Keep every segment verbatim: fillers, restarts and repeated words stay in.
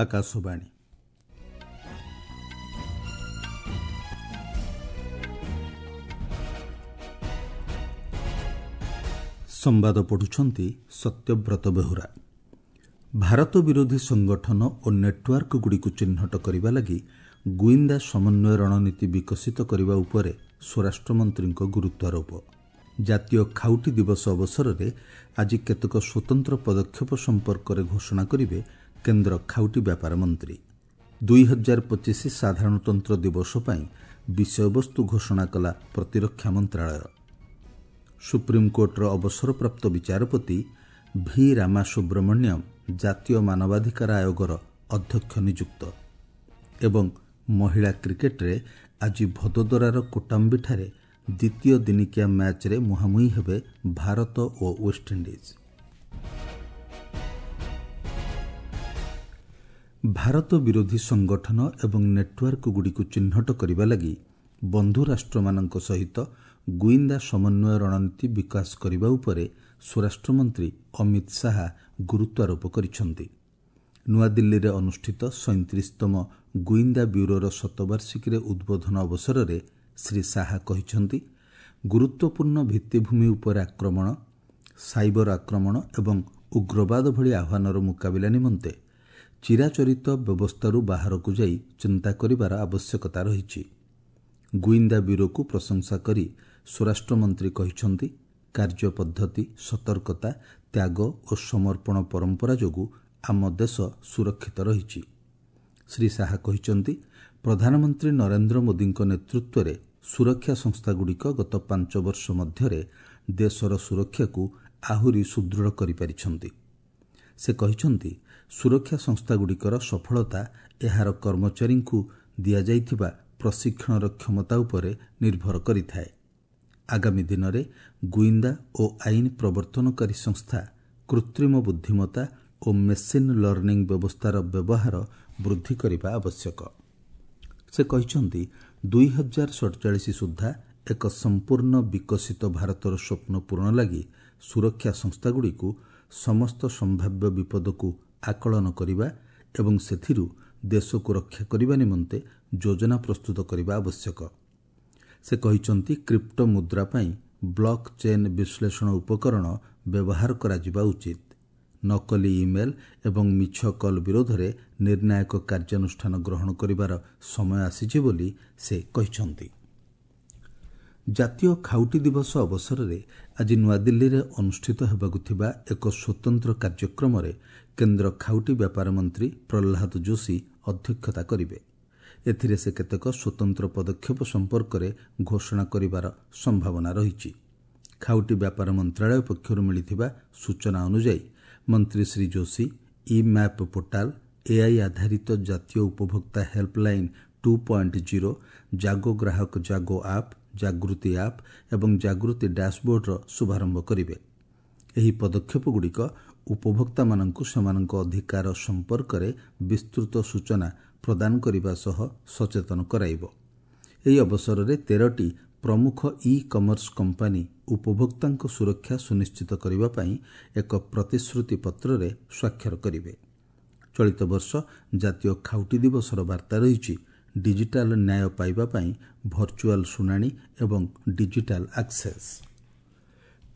ଆକାଶବାଣୀ। ସମ୍ବାଦ ପଢ଼ୁଛନ୍ତି ସତ୍ୟବ୍ରତ ବେହୁରା। ଭାରତ ବିରୋଧୀ ସଂଗଠନ ଓ ନେଟ୍ୱାର୍କଗୁଡ଼ିକୁ ଚିହ୍ନଟ କରିବା ଲାଗି ଗୁଇନ୍ଦା ସମନ୍ୱୟ ରଣନୀତି ବିକଶିତ କରିବା ଉପରେ ସ୍ୱରାଷ୍ଟ୍ରମନ୍ତ୍ରୀଙ୍କ ଗୁରୁତ୍ୱାରୋପ। ଜାତୀୟ ଖାଉଟି ଦିବସ ଅବସରରେ ଆଜି କେତେକ ସ୍ୱତନ୍ତ୍ର ପଦକ୍ଷେପ ସମ୍ପର୍କରେ ଘୋଷଣା କରିବେ କେନ୍ଦ୍ର ଖାଉଟି ବ୍ୟାପାର ମନ୍ତ୍ରୀ। ଦୁଇ ହଜାର ପଚିଶ ସାଧାରଣତନ୍ତ୍ର ଦିବସ ପାଇଁ ବିଷୟବସ୍ତୁ ଘୋଷଣା କଲା ପ୍ରତିରକ୍ଷା ମନ୍ତ୍ରାଳୟ। ସୁପ୍ରିମକୋର୍ଟର ଅବସରପ୍ରାପ୍ତ ବିଚାରପତି ଭି ରାମାସୁବ୍ରମଣ୍ୟମ ଜାତୀୟ ମାନବାଧିକାର ଆୟୋଗର ଅଧ୍ୟକ୍ଷ ନିଯୁକ୍ତ। ଏବଂ ମହିଳା କ୍ରିକେଟରେ ଆଜି ଭଦୋଦରାର କୋଟାମ୍ବିଠାରେ ଦ୍ୱିତୀୟ ଦିନିକିଆ ମ୍ୟାଚ୍ରେ ମୁହାଁମୁହିଁ ହେବେ ଭାରତ ଓ ୱେଷ୍ଟଇଣ୍ଡିଜ୍। ଭାରତ ବିରୋଧୀ ସଂଗଠନ ଏବଂ ନେଟ୍ୱାର୍କଗୁଡ଼ିକୁ ଚିହ୍ନଟ କରିବା ଲାଗି ବନ୍ଧୁ ରାଷ୍ଟ୍ରମାନଙ୍କ ସହିତ ଗୁଇନ୍ଦା ସମନ୍ୱୟ ରଣନୀତି ବିକାଶ କରିବା ଉପରେ ସ୍ୱରାଷ୍ଟ୍ରମନ୍ତ୍ରୀ ଅମିତ ଶାହା ଗୁରୁତ୍ୱାରୋପ କରିଛନ୍ତି। ନୂଆଦିଲ୍ଲୀରେ ଅନୁଷ୍ଠିତ ସଇଁତିରିଶତମ ଗୁଇନ୍ଦା ବ୍ୟୁରୋର ଶତବାର୍ଷିକୀରେ ଉଦ୍ବୋଧନ ଅବସରରେ ଶ୍ରୀ ଶାହା କହିଛନ୍ତି, ଗୁରୁତ୍ୱପୂର୍ଣ୍ଣ ଭିତ୍ତିଭୂମି ଉପରେ ଆକ୍ରମଣ, ସାଇବର ଆକ୍ରମଣ ଏବଂ ଉଗ୍ରବାଦ ଭଳି ଆହ୍ୱାନର ମୁକାବିଲା ନିମନ୍ତେ ଚିରାଚରିତ ବ୍ୟବସ୍ଥାରୁ ବାହାରକୁ ଯାଇ ଚିନ୍ତା କରିବାର ଆବଶ୍ୟକତା ରହିଛି। ଗୁଇନ୍ଦା ବ୍ୟୁରୋକୁ ପ୍ରଶଂସା କରି ସ୍ୱରାଷ୍ଟ୍ରମନ୍ତ୍ରୀ କହିଛନ୍ତି, କାର୍ଯ୍ୟପଦ୍ଧତି, ସତର୍କତା, ତ୍ୟାଗ ଓ ସମର୍ପଣ ପରମ୍ପରା ଯୋଗୁଁ ଆମ ଦେଶ ସୁରକ୍ଷିତ ରହିଛି। ଶ୍ରୀ ଶାହା କହିଛନ୍ତି, ପ୍ରଧାନମନ୍ତ୍ରୀ ନରେନ୍ଦ୍ର ମୋଦିଙ୍କ ନେତୃତ୍ୱରେ ସୁରକ୍ଷା ସଂସ୍ଥାଗୁଡ଼ିକ ଗତ ପାଞ୍ଚ ବର୍ଷ ମଧ୍ୟରେ ଦେଶର ସୁରକ୍ଷାକୁ ଆହୁରି ସୁଦୃଢ଼ କରିପାରିଛନ୍ତି। ସେ କହିଛନ୍ତି, ସୁରକ୍ଷା ସଂସ୍ଥାଗୁଡ଼ିକର ସଫଳତା ଏହାର କର୍ମଚାରୀଙ୍କୁ ଦିଆଯାଇଥିବା ପ୍ରଶିକ୍ଷଣର କ୍ଷମତା ଉପରେ ନିର୍ଭର କରିଥାଏ। ଆଗାମୀ ଦିନରେ ଗୁଇନ୍ଦା ଓ ଆଇନ ପ୍ରବର୍ତ୍ତନକାରୀ ସଂସ୍ଥା କୃତ୍ରିମ ବୁଦ୍ଧିମତ୍ତା ଓ ମେସିନ୍ ଲର୍ଣ୍ଣିଂ ବ୍ୟବସ୍ଥାର ବ୍ୟବହାର ବୃଦ୍ଧି କରିବା ଆବଶ୍ୟକ। ସେ କହିଛନ୍ତି, ଦୁଇ ହଜାର ସଡ଼ଚାଳିଶ ସୁଦ୍ଧା ଏକ ସମ୍ପୂର୍ଣ୍ଣ ବିକଶିତ ଭାରତର ସ୍ୱପ୍ନ ପୂରଣ ଲାଗି ସୁରକ୍ଷା ସଂସ୍ଥାଗୁଡ଼ିକୁ ସମସ୍ତ ସମ୍ଭାବ୍ୟ ବିପଦକୁ ଆକଳନ କରିବା ଏବଂ ସେଥିରୁ ଦେଶକୁ ରକ୍ଷା କରିବା ନିମନ୍ତେ ଯୋଜନା ପ୍ରସ୍ତୁତ କରିବା ଆବଶ୍ୟକ। ସେ କହିଛନ୍ତି, କ୍ରିପ୍ଟୋ ମୁଦ୍ରା ପାଇଁ ବ୍ଲକ୍ ଚେନ୍ ବିଶ୍ଳେଷଣ ଉପକରଣ ବ୍ୟବହାର କରାଯିବା ଉଚିତ। ନକଲି ଇମେଲ୍ ଏବଂ ମିଛ କଲ୍ ବିରୋଧରେ ନିର୍ଣ୍ଣାୟକ କାର୍ଯ୍ୟାନୁଷ୍ଠାନ ଗ୍ରହଣ କରିବାର ସମୟ ଆସିଛି ବୋଲି ସେ କହିଛନ୍ତି। ଜାତୀୟ ଖାଉଟି ଦିବସ ଅବସରରେ ଆଜି ନୂଆଦିଲ୍ଲୀରେ ଅନୁଷ୍ଠିତ ହେବାକୁ ଥିବା ଏକ ସ୍ୱତନ୍ତ୍ର କାର୍ଯ୍ୟକ୍ରମରେ କେନ୍ଦ୍ର ଖାଉଟି ବ୍ୟାପାର ମନ୍ତ୍ରୀ ପ୍ରହ୍ଲାଦ ଯୋଶୀ ଅଧ୍ୟକ୍ଷତା କରିବେ। ଏଥିରେ ସେ କେତେକ ସ୍ୱତନ୍ତ୍ର ପଦକ୍ଷେପ ସମ୍ପର୍କରେ ଘୋଷଣା କରିବାର ସମ୍ଭାବନା ରହିଛି। ଖାଉଟି ବ୍ୟାପାର ମନ୍ତ୍ରାଳୟ ପକ୍ଷରୁ ମିଳିଥିବା ସୂଚନା ଅନୁଯାୟୀ ମନ୍ତ୍ରୀ Shri Joshi e map portal, AI ଆଧାରିତ ଜାତୀୟ ଉପଭୋକ୍ତା ହେଲ୍ପଲାଇନ୍ ଟୁ ପଏଣ୍ଟ ଜିରୋ, ଜାଗୋ ଗ୍ରାହକ ଜାଗୋ ଆପ୍, ଜାଗୃତି ଆପ୍ ଏବଂ ଜାଗୃତି ଡ୍ୟାସବୋର୍ଡର ଶୁଭାରମ୍ଭ କରିବେ। ଏହି ପଦକ୍ଷେପଗୁଡ଼ିକ ଉପଭୋକ୍ତାମାନଙ୍କୁ ସେମାନଙ୍କ ଅଧିକାର ସମ୍ପର୍କରେ ବିସ୍ତୃତ ସୂଚନା ପ୍ରଦାନ କରିବା ସହ ସଚେତନ କରାଇବ। ଏହି ଅବସରରେ ତେରଟି ପ୍ରମୁଖ ଇ କମର୍ସ କମ୍ପାନୀ ଉପଭୋକ୍ତାଙ୍କ ସୁରକ୍ଷା ସୁନିଶ୍ଚିତ କରିବା ପାଇଁ ଏକ ପ୍ରତିଶ୍ରୁତି ପତ୍ରରେ ସ୍ୱାକ୍ଷର କରିବେ। ଚଳିତ ବର୍ଷ ଜାତୀୟ ଖାଉଟି ଦିବସର ବାର୍ତ୍ତା ରହିଛି, ଡିଜିଟାଲ ନ୍ୟାୟ ପାଇବା ପାଇଁ ଭର୍ଚୁଆଲ ଶୁଣାଣି ଏବଂ ଡିଜିଟାଲ ଆକ୍ସେସ୍।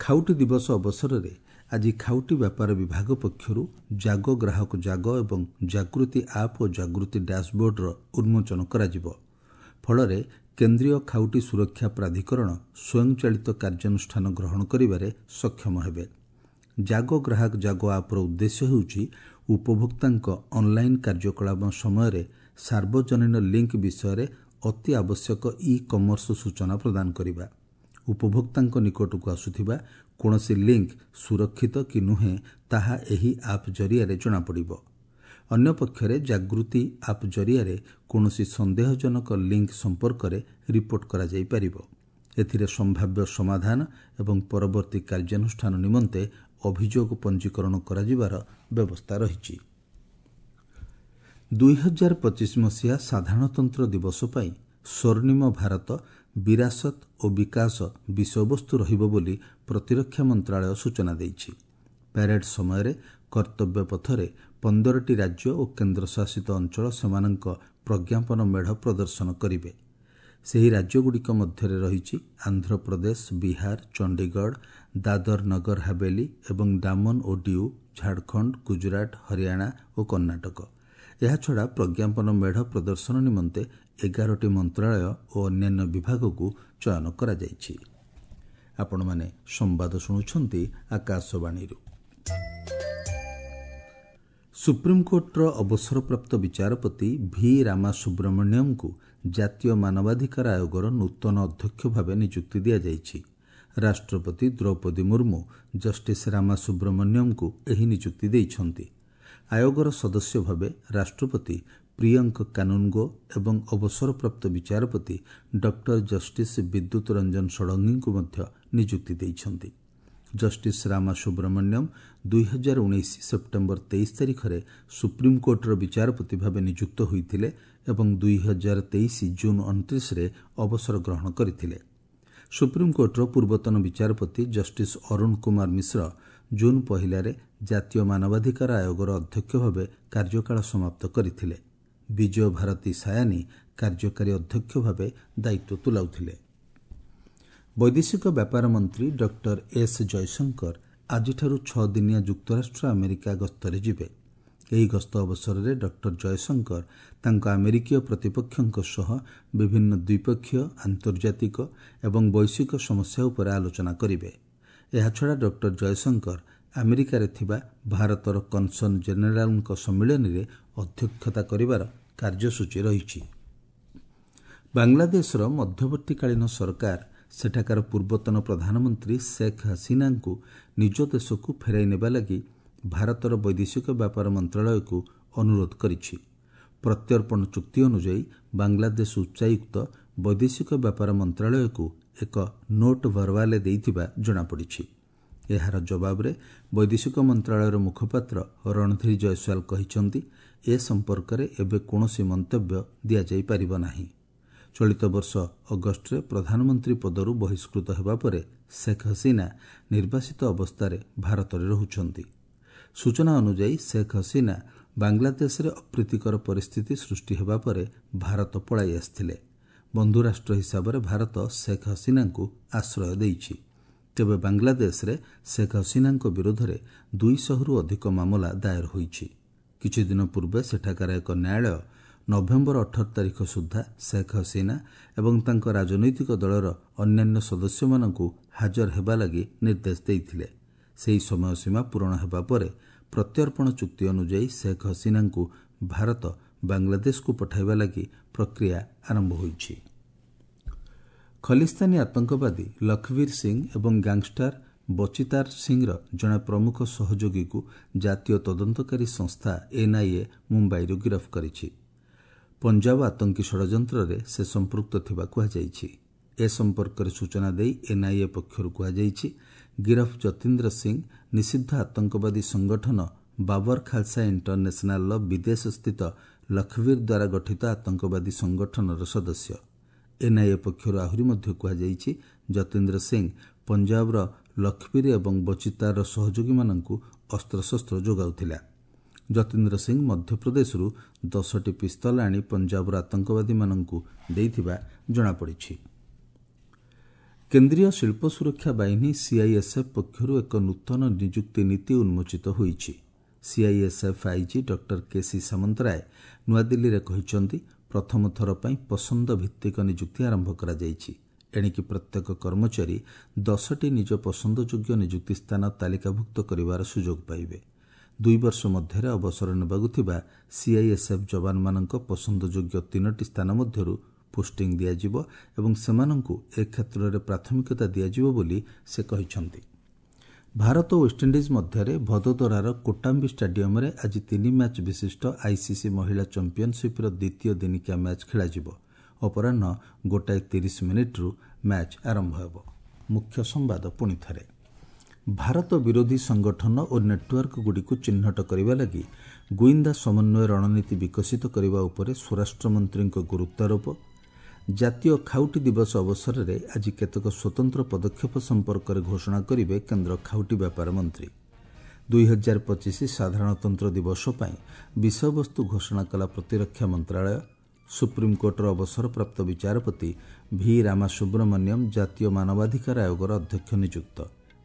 ଖାଉଟି ଦିବସ ଅବସରରେ ଆଜି ଖାଉଟି ବ୍ୟାପାର ବିଭାଗ ପକ୍ଷରୁ ଜାଗୋ ଗ୍ରାହକ ଜାଗୋ ଏବଂ ଜାଗୃତି ଆପ୍ ଓ ଜାଗୃତି ଡ୍ୟାସବୋର୍ଡର ଉନ୍ମୋଚନ କରାଯିବ। ଫଳରେ କେନ୍ଦ୍ରୀୟ ଖାଉଟି ସୁରକ୍ଷା ପ୍ରାଧିକରଣ ସ୍ୱୟଂଚାଳିତ କାର୍ଯ୍ୟାନୁଷ୍ଠାନ ଗ୍ରହଣ କରିବାରେ ସକ୍ଷମ ହେବେ। ଜାଗୋ ଗ୍ରାହକ ଜାଗୋ ଆପ୍ର ଉଦ୍ଦେଶ୍ୟ ହେଉଛି ଉପଭୋକ୍ତାଙ୍କ ଅନ୍ଲାଇନ୍ କାର୍ଯ୍ୟକଳାପ ସମୟରେ ସାର୍ବଜନୀନ ଲିଙ୍କ୍ ବିଷୟରେ ଅତି ଆବଶ୍ୟକ ଇ କମର୍ସ ସୂଚନା ପ୍ରଦାନ କରିବା। ଉପଭୋକ୍ତାଙ୍କ ନିକଟକୁ ଆସୁଥିବା କୌଣସି ଲିଙ୍କ୍ ସୁରକ୍ଷିତ କି ନୁହେଁ ତାହା ଏହି ଆପ୍ ଜରିଆରେ ଜଣାପଡ଼ିବ। ଅନ୍ୟପକ୍ଷରେ ଜାଗୃତି ଆପ୍ ଜରିଆରେ କୌଣସି ସନ୍ଦେହଜନକ ଲିଙ୍କ୍ ସମ୍ପର୍କରେ ରିପୋର୍ଟ କରାଯାଇପାରିବ। ଏଥିରେ ସମ୍ଭାବ୍ୟ ସମାଧାନ ଏବଂ ପରବର୍ତ୍ତୀ କାର୍ଯ୍ୟାନୁଷ୍ଠାନ ନିମନ୍ତେ ଅଭିଯୋଗ ପଞ୍ଜୀକରଣ କରାଯିବାର ବ୍ୟବସ୍ଥା ରହିଛି। ଦୁଇ ହଜାର ପଚିଶ ମସିହା ସାଧାରଣତନ୍ତ୍ର ଦିବସ ପାଇଁ ସ୍ୱର୍ଣ୍ଣିମ ଭାରତ, ବିରାସତ ଓ ବିକାଶ ବିଷୟବସ୍ତୁ ରହିବ ବୋଲି ପ୍ରତିରକ୍ଷା ମନ୍ତ୍ରାଳୟ ସୂଚନା ଦେଇଛି। ପ୍ୟାରେଡ୍ ସମୟରେ କର୍ତ୍ତବ୍ୟ ପଥରେ ପନ୍ଦରଟି ରାଜ୍ୟ ଓ କେନ୍ଦ୍ରଶାସିତ ଅଞ୍ଚଳ ସେମାନଙ୍କ ପ୍ରଜ୍ଞାପନ ମେଢ଼ ପ୍ରଦର୍ଶନ କରିବେ। ସେହି ରାଜ୍ୟଗୁଡ଼ିକ ମଧ୍ୟରେ ରହିଛି ଆନ୍ଧ୍ରପ୍ରଦେଶ, ବିହାର, ଚଣ୍ଡିଗଡ଼, ଦାଦର ନଗର ହାବେଲି ଏବଂ ଡାମନ ଓ ଡିଉ, ଝାଡ଼ଖଣ୍ଡ, ଗୁଜରାଟ, ହରିୟାଣା ଓ କର୍ଣ୍ଣାଟକ। ଏହାଛଡ଼ା ପ୍ରଜ୍ଞାପନ ମେଢ଼ ପ୍ରଦର୍ଶନ ନିମନ୍ତେ ଏଗାରଟି ମନ୍ତ୍ରଣାଳୟ ଓ ଅନ୍ୟାନ୍ୟ ବିଭାଗକୁ ଚୟନ କରାଯାଇଛି। ଆପଣମାନେ ସମ୍ବାଦ ଶୁଣୁଛନ୍ତି ଆକାଶବାଣୀରୁ। ସୁପ୍ରିମକୋର୍ଟର ଅବସରପ୍ରାପ୍ତ ବିଚାରପତି ଭି ରାମାସୁବ୍ରମଣ୍ୟମଙ୍କୁ ଜାତୀୟ ମାନବାଧିକାର ଆୟୋଗର ନୂତନ ଅଧ୍ୟକ୍ଷ ଭାବେ ନିଯୁକ୍ତି ଦିଆଯାଇଛି। ରାଷ୍ଟ୍ରପତି ଦ୍ରୌପଦୀ ମୁର୍ମୁ ଜଷ୍ଟିସ୍ ରାମାସୁବ୍ରମଣ୍ୟମଙ୍କୁ ଏହି ନିଯୁକ୍ତି ଦେଇଛନ୍ତି। ଆୟୋଗର ସଦସ୍ୟ ଭାବେ ରାଷ୍ଟ୍ରପତି ପ୍ରିୟଙ୍କ କାନୁନଗୋ ଏବଂ ଅବସରପ୍ରାପ୍ତ ବିଚାରପତି ଡକ୍ଟର ଜଷ୍ଟିସ୍ ବିଦ୍ୟୁତ ରଞ୍ଜନ ଷଡ଼ଙ୍ଗୀଙ୍କୁ ମଧ୍ୟ ନିଯୁକ୍ତି ଦେଇଛନ୍ତି। ଜଷ୍ଟିସ୍ ରାମାସୁବ୍ରମଣ୍ୟମ ଦୁଇହଜାର ଉଣେଇଶ ସେପ୍ଟେମ୍ବର ତେଇଶ ତାରିଖରେ ସୁପ୍ରିମକୋର୍ଟର ବିଚାରପତି ଭାବେ ନିଯୁକ୍ତ ହୋଇଥିଲେ ଏବଂ ଦୁଇହଜାର ତେଇଶ ଜୁନ୍ ଅଣତିରିଶରେ ଅବସର ଗ୍ରହଣ କରିଥିଲେ। ସୁପ୍ରିମକୋର୍ଟର ପୂର୍ବତନ ବିଚାରପତି ଜଷ୍ଟିସ୍ ଅରୁଣ କୁମାର ମିଶ୍ର ଜୁନ୍ ପହିଲାରେ ଜାତୀୟ ମାନବାଧିକାର ଆୟୋଗର ଅଧ୍ୟକ୍ଷ ଭାବେ କାର୍ଯ୍ୟକାଳ ସମାପ୍ତ କରିଥିଲେ। ବିଜୟ ଭାରତୀ ସାୟାନି କାର୍ଯ୍ୟକାରୀ ଅଧ୍ୟକ୍ଷ ଭାବେ ଦାୟିତ୍ୱ ତୁଲାଉଥିଲେ। ବୈଦେଶିକ ବ୍ୟାପାର ମନ୍ତ୍ରୀ ଡକ୍ଟର ଏସ୍ ଜୟଶଙ୍କର ଆଜିଠାରୁ ଛଅ ଦିନିଆ ଯୁକ୍ତରାଷ୍ଟ୍ର ଆମେରିକା ଗସ୍ତରେ ଯିବେ। ଏହି ଗସ୍ତ ଅବସରରେ ଡକ୍ଟର ଜୟଶଙ୍କର ତାଙ୍କ ଆମେରିକୀୟ ପ୍ରତିପକ୍ଷଙ୍କ ସହ ବିଭିନ୍ନ ଦ୍ୱିପକ୍ଷୀୟ, ଆନ୍ତର୍ଜାତିକ ଏବଂ ବୈଶ୍ୱିକ ସମସ୍ୟା ଉପରେ ଆଲୋଚନା କରିବେ। ଏହାଛଡ଼ା ଡକ୍ଟର ଜୟଶଙ୍କର ଆମେରିକାରେ ଥିବା ଭାରତର କନସନ୍ ଜେନେରାଲଙ୍କ ସମ୍ମିଳନୀରେ ଅଧ୍ୟକ୍ଷତା କରିବାର କାର୍ଯ୍ୟସୂଚୀ ରହିଛି। ବାଂଲାଦେଶର ମଧ୍ୟବର୍ତ୍ତୀକାଳୀନ ସରକାର ସେଠାକାର ପୂର୍ବତନ ପ୍ରଧାନମନ୍ତ୍ରୀ ଶେଖ୍ ହସିନାଙ୍କୁ ନିଜ ଦେଶକୁ ଫେରାଇ ନେବା ଲାଗି ଭାରତର ବୈଦେଶିକ ବ୍ୟାପାର ମନ୍ତ୍ରଣାଳୟକୁ ଅନୁରୋଧ କରିଛି। ପ୍ରତ୍ୟର୍ପଣ ଚୁକ୍ତି ଅନୁଯାୟୀ ବାଂଲାଦେଶ ଉଚ୍ଚାୟୁକ୍ତ ବୈଦେଶିକ ବ୍ୟାପାର ମନ୍ତ୍ରଣାଳୟକୁ ଏକ ନୋଟ୍ ଭରବାଲେ ଦେଇଥିବା ଜଣାପଡ଼ିଛି। ଏହାର ଜବାବରେ ବୈଦେଶିକ ମନ୍ତ୍ରଣାଳୟର ମୁଖପାତ୍ର ରଣଧୀର ଜୟସ୍ୱାଲ କହିଛନ୍ତି, ଏ ସମ୍ପର୍କରେ ଏବେ କୌଣସି ମନ୍ତବ୍ୟ ଦିଆଯାଇପାରିବ ନାହିଁ। ଚଳିତ ବର୍ଷ ଅଗଷ୍ଟରେ ପ୍ରଧାନମନ୍ତ୍ରୀ ପଦରୁ ବହିଷ୍କୃତ ହେବା ପରେ ଶେଖ୍ ହସିନା ନିର୍ବାସିତ ଅବସ୍ଥାରେ ଭାରତରେ ରହୁଛନ୍ତି। ସୂଚନା ଅନୁଯାୟୀ ଶେଖ୍ ହସିନା ବାଂଲାଦେଶରେ ଅପ୍ରୀତିକର ପରିସ୍ଥିତି ସୃଷ୍ଟି ହେବା ପରେ ଭାରତ ପଳାଇ ଆସିଥିଲେ। ବନ୍ଧୁରାଷ୍ଟ୍ର ହିସାବରେ ଭାରତ ଶେଖ୍ ହସିନାଙ୍କୁ ଆଶ୍ରୟ ଦେଇଛି। ତେବେ ବାଂଲାଦେଶରେ ଶେଖ୍ ହସିନାଙ୍କ ବିରୋଧରେ ଦୁଇଶହରୁ ଅଧିକ ମାମଲା ଦାୟର ହୋଇଛି। କିଛିଦିନ ପୂର୍ବେ ସେଠାକାର ଏକ ନ୍ୟାୟାଳୟ ନଭେମ୍ବର ଅଠର ତାରିଖ ସୁଦ୍ଧା ଶେଖ୍ ହସିନା ଏବଂ ତାଙ୍କ ରାଜନୈତିକ ଦଳର ଅନ୍ୟାନ୍ୟ ସଦସ୍ୟମାନଙ୍କୁ ହାଜର ହେବା ଲାଗି ନିର୍ଦ୍ଦେଶ ଦେଇଥିଲେ। ସେହି ସମୟସୀମା ପୂରଣ ହେବା ପରେ ପ୍ରତ୍ୟର୍ପଣ ଚୁକ୍ତି ଅନୁଯାୟୀ ଶେଖ୍ ହସିନାଙ୍କୁ ଭାରତ ବାଂଲାଦେଶକୁ ପଠାଇବା ଲାଗି ପ୍ରକ୍ରିୟା ଆରମ୍ଭ ହୋଇଛି। ଖଲିସ୍ତାନୀ ଆତଙ୍କବାଦୀ ଲଖବୀର ସିଂ ଏବଂ ଗ୍ୟାଙ୍ଗଷ୍ଟାର ବଚିତାର ସିଂର ଜଣେ ପ୍ରମୁଖ ସହଯୋଗୀକୁ ଜାତୀୟ ତଦନ୍ତକାରୀ ସଂସ୍ଥା ଏନ୍ଆଇଏ ମୁମ୍ବାଇରୁ ଗିରଫ କରିଛି। ପଞ୍ଜାବ ଆତଙ୍କୀ ଷଡ଼ଯନ୍ତ୍ରରେ ସେ ସମ୍ପୃକ୍ତ ଥିବା କୁହାଯାଇଛି। ଏ ସମ୍ପର୍କରେ ସୂଚନା ଦେଇ ଏନ୍ଆଇଏ ପକ୍ଷରୁ କୁହାଯାଇଛି, ଗିରଫ ଯତୀନ୍ଦ୍ର ସିଂ ନିଷିଦ୍ଧ ଆତଙ୍କବାଦୀ ସଂଗଠନ ବାବର ଖାଲସା ଇଣ୍ଟରନ୍ୟାସନାଲର ବିଦେଶସ୍ଥିତ ଲଖବୀର ଦ୍ୱାରା ଗଠିତ ଆତଙ୍କବାଦୀ ସଂଗଠନର ସଦସ୍ୟ। ଏନ୍ଆଇଏ ପକ୍ଷରୁ ଆହୁରି ମଧ୍ୟ କୁହାଯାଇଛି, ଯତୀନ୍ଦ୍ର ସିଂ ପଞ୍ଜାବର ଲଖବୀର ଏବଂ ବଚିତାରର ସହଯୋଗୀମାନଙ୍କୁ ଅସ୍ତ୍ରଶସ୍ତ୍ର ଯୋଗାଉଥିଲା। ଯତୀନ୍ଦ୍ର ସିଂ ମଧ୍ୟପ୍ରଦେଶରୁ ଦଶଟି ପିସ୍ତଲ ଆଣି ପଞ୍ଜାବର ଆତଙ୍କବାଦୀମାନଙ୍କୁ ଦେଇଥିବା ଜଣାପଡ଼ିଛି। କେନ୍ଦ୍ରୀୟ ଶିଳ୍ପ ସୁରକ୍ଷା ବାହିନୀ ସିଆଇଏସ୍ଏଫ୍ ପକ୍ଷରୁ ଏକ ନୂତନ ନିଯୁକ୍ତି ନୀତି ଉନ୍ମୋଚିତ ହୋଇଛି। CISF IG doctor KC Samantaray ନୂଆଦିଲ୍ଲୀରେ କହିଛନ୍ତି, ପ୍ରଥମ ଥର ପାଇଁ ପସନ୍ଦ ଭିତ୍ତିକ ନିଯୁକ୍ତି ଆରମ୍ଭ କରାଯାଇଛି। ଏଣିକି ପ୍ରତ୍ୟେକ କର୍ମଚାରୀ ଦଶଟି ନିଜ ପସନ୍ଦଯୋଗ୍ୟ ନିଯୁକ୍ତି ସ୍ଥାନ ତାଲିକାଭୁକ୍ତ କରିବାର ସୁଯୋଗ ପାଇବେ। ଦୁଇ ବର୍ଷ ମଧ୍ୟରେ ଅବସର ନେବାକୁ ଥିବା ସିଆଇଏସ୍ଏଫ୍ ଯବାନମାନଙ୍କ ପସନ୍ଦଯୋଗ୍ୟ ତିନୋଟି ସ୍ଥାନ ମଧ୍ୟରୁ ପୋଷ୍ଟିଂ ଦିଆଯିବ ଏବଂ ସେମାନଙ୍କୁ ଏ କ୍ଷେତ୍ରରେ ପ୍ରାଥମିକତା ଦିଆଯିବ ବୋଲି ସେ କହିଛନ୍ତି। ଭାରତ ଓ ୱେଷ୍ଟଇଣ୍ଡିଜ୍ ମଧ୍ୟରେ ଭଦୋଦରାର କୋଟାମ୍ବି ଷ୍ଟାଡିୟମରେ ଆଜି ତିନି ମ୍ୟାଚ୍ ବିଶିଷ୍ଟ ଆଇସିସି ମହିଳା ଚାମ୍ପିୟନସିପ୍ର ଦ୍ୱିତୀୟ ଦିନିକିଆ ମ୍ୟାଚ୍ ଖେଳାଯିବ। ଅପରାହ୍ନ ଗୋଟାଏ ତିରିଶ ମିନିଟ୍ରୁ ମ୍ୟାଚ୍ ଆରମ୍ଭ ହେବ। ମୁଖ୍ୟ ସମ୍ବାଦ ପୁଣି ଥରେ, ଭାରତ ବିରୋଧୀ ସଂଗଠନ ଓ ନେଟୱାର୍କଗୁଡ଼ିକୁ ଚିହ୍ନଟ କରିବା ଲାଗି ଗୁଇନ୍ଦା ସମନ୍ୱୟ ରଣନୀତି ବିକଶିତ କରିବା ଉପରେ ସ୍ୱରାଷ୍ଟ୍ରମନ୍ତ୍ରୀଙ୍କ ଗୁରୁତ୍ୱାରୋପ। ଜାତୀୟ ଖାଉଟି ଦିବସ ଅବସରରେ ଆଜି କେତେକ ସ୍ୱତନ୍ତ୍ର ପଦକ୍ଷେପ ସମ୍ପର୍କରେ ଘୋଷଣା କରିବେ କେନ୍ଦ୍ର ଖାଉଟି ବ୍ୟାପାର ମନ୍ତ୍ରୀ। ଦୁଇ ହଜାର ପଚିଶ ସାଧାରଣତନ୍ତ୍ର ଦିବସ ପାଇଁ ବିଷୟବସ୍ତୁ ଘୋଷଣା କଲା ପ୍ରତିରକ୍ଷା ମନ୍ତ୍ରାଳୟ। ସୁପ୍ରିମକୋର୍ଟର ଅବସରପ୍ରାପ୍ତ ବିଚାରପତି ଭି ରାମାସୁବ୍ରମଣ୍ୟମ ଜାତୀୟ ମାନବାଧିକାର ଆୟୋଗର ଅଧ୍ୟକ୍ଷ ନିଯୁକ୍ତ।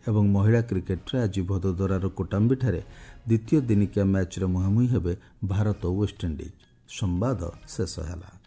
ଏବଂ ମହିଳା କ୍ରିକେଟ୍ରେ ଆଜି ଭଦୋଦରାର କୋଟାମ୍ବିଠାରେ ଦ୍ୱିତୀୟ ଦିନିକିଆ ମ୍ୟାଚ୍ରେ ମୁହାଁମୁହିଁ ହେବେ ଭାରତ ଓ ୱେଷ୍ଟଇଣ୍ଡିଜ୍। ସମ୍ବାଦ ଶେଷ ହେଲା।